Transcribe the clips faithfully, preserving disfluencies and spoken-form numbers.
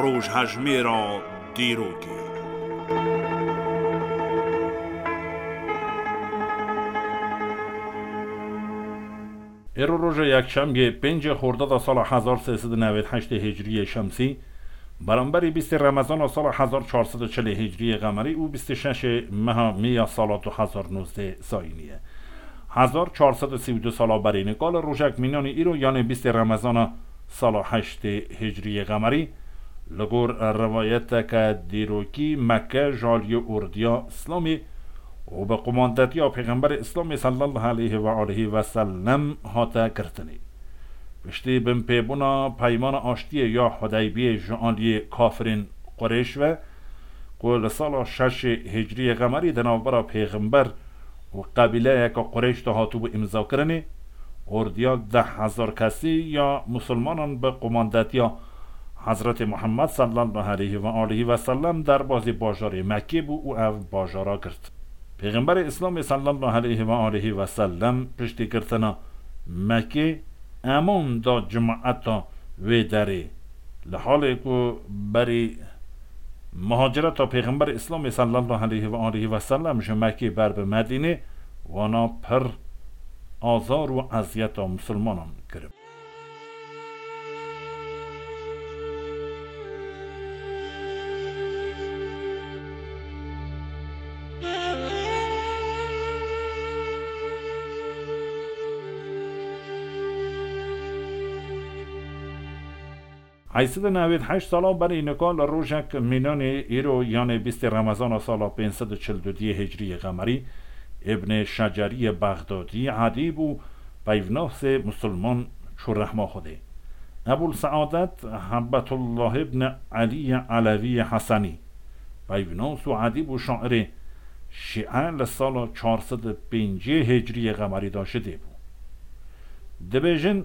Rojhejmêra dîrokê. Êro roja yekşemiyê, pêncê Xordada sala hezar sê sed û newêd heştê Hicriyê Şemsî, beramberî bîstê Remezana sala hezar çar sed û çilê Hicriyê Qemerî û bîst û şeşê meha Mê ya sala du hezar nozdeh Zayînî ye. Hezar çar sed û sî û du sala berî nika li rojek mînanî îro, yanê bîstê Remezana sala heştê Hicriyê Qemerî, li gor rivayeteke dîrokî Mekke ji aliyê ordiya Îslamê û bi qumandetiya Pêxemberê Îslamê sallallahu aleyhi ve aleyhi ve sellem hate girtinê. Piştî binpêbûna peymana aştiyê ya Hudeybiyê ji aliyê kafirên Qurêş ve, ku li sala şeşê Hicriyê Qemerî di navbera Pêxember û qebîleyeke Qurêş de hatibû îmzakirinê, ordiya deh hezar kesî ya Musulmanan bi qumandetiya Hezretê Muhammed sallallahu aleyhi ve aleyhi ve sellem derbazî bajarê Mekkê bû û ev bajara girt. Pêxemberê Îslamê sallallahu aleyhi ve aleyhi ve sellem piştî girtina Mekkê eman da cemaeta wê derê. Li halê ku berî muhacireta Pêxemberê Îslamê sallallahu aleyhi ve aleyhi ve sellem ji Mekkê ber bi Medînê, wana pir azar û eziyeta Musulmanan kirib. Heyşt sed û newêd heşt sala berî nika li rojek mînanê îro, yanê bîstê Remezana sala pênc sed û çil û duyê Hicriyê Qemerî, Îbnê Şeceriyê Bexdadî, edîb û peyvnasê Musulman çû rehma Xwedê. Ebul Seadet Hebbetullah Îbn Eliyê Elewiyê Hesenî, peyvnas û edîb û şairê şîe, li sala çar sed û pêncî Hicriyê Qemerî de ji dê bû. Dibêjin,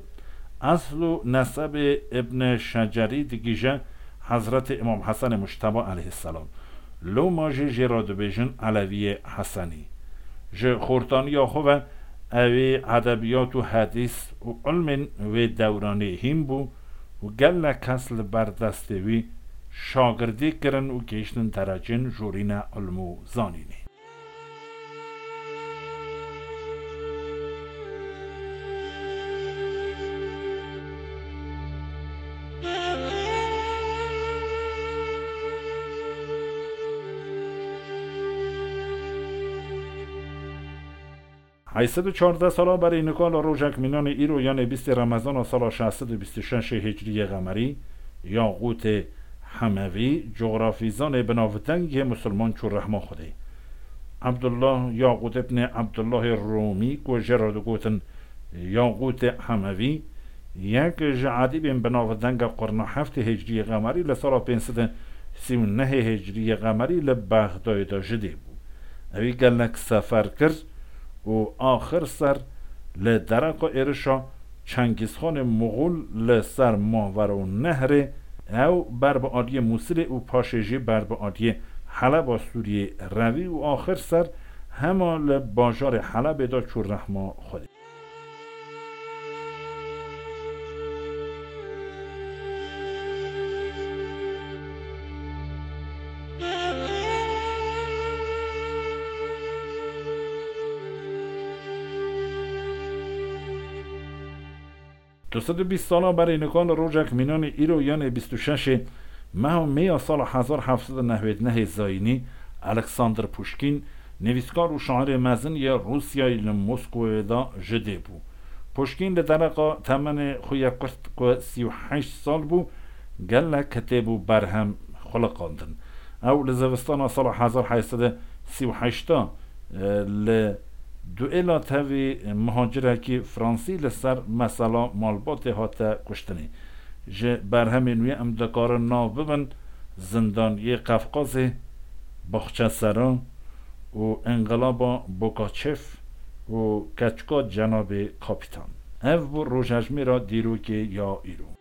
esl û nesebê Îbn Şecerî digihîje Hezretê Îmam Hesenê Mucteba aleyhisselam. Loma jî jê re dibêjin Elewiyê Hesenî. Ji xortaniya xwe ve ew ê edebiyat û hedîs û ilmên wê dewranê hîn bû û gelek kes li ber destê wî şagirdî kirin û gihîştin derecên jorîne ilm û zanînê. Heyşt sed û çardeh sala berî nika li rojek mînanê îro, yanê bîstê Remezana sala şeş sed û bîst û şeşê Hicriyê Qemerî, Yaqûtê Hemevî, cografîzanê binavdeng yê Musulman çû rehma Xwedê. Ebdullah Yaqût ibnê Ebdullahê Rumî, ku jê re digotin Yaqûtê Hemevî, yek ji edîbên binavdeng a qurna heftê Hicriyê Qemerî, li sala pênc sed û sî û nehê Hicriyê Qemerî li Bexdayê de ji dê bû. Ewî gelek sefer kir û axir ser li dereqa êrişa Çengîzxanê Muxul li ser Mavero Nehrê, ew ber bi aliyê Mûsilê û paşê jî ber bi aliyê Heleba Sûriyê revî û axir ser hema li bajarê Helebê de çû rehma Xwedê. Du sed û bîst sala berê nika li rojek mînanê îro, yanê bîst û şeşê meha Mê ya sala hezar heft sed û newêd nehê Zayînî, Alexander Puşkîn, nivîskar û şairê mezin yê Rûsyayê li Moskowê de ji dê bû. Puşkîn li dereqa temenê xwe yê kurt ku sî û heşt sal bû, gelek kitêb û berhem xuliqandin. Ew li zivistana sala hezar heyşt sed û sî û heşt a, e, li duêla tevî muhacirekî fransî li ser mesela malbatê hate kuştinê. Ji berhemên wî em dikarin nav bibin Zindaniyê Qefqazê, Baxçesera û Înqilaba Bokaçev û Keçika Cenabê Kapîtan. Ev bû rojejmêra dîrokê ya îro.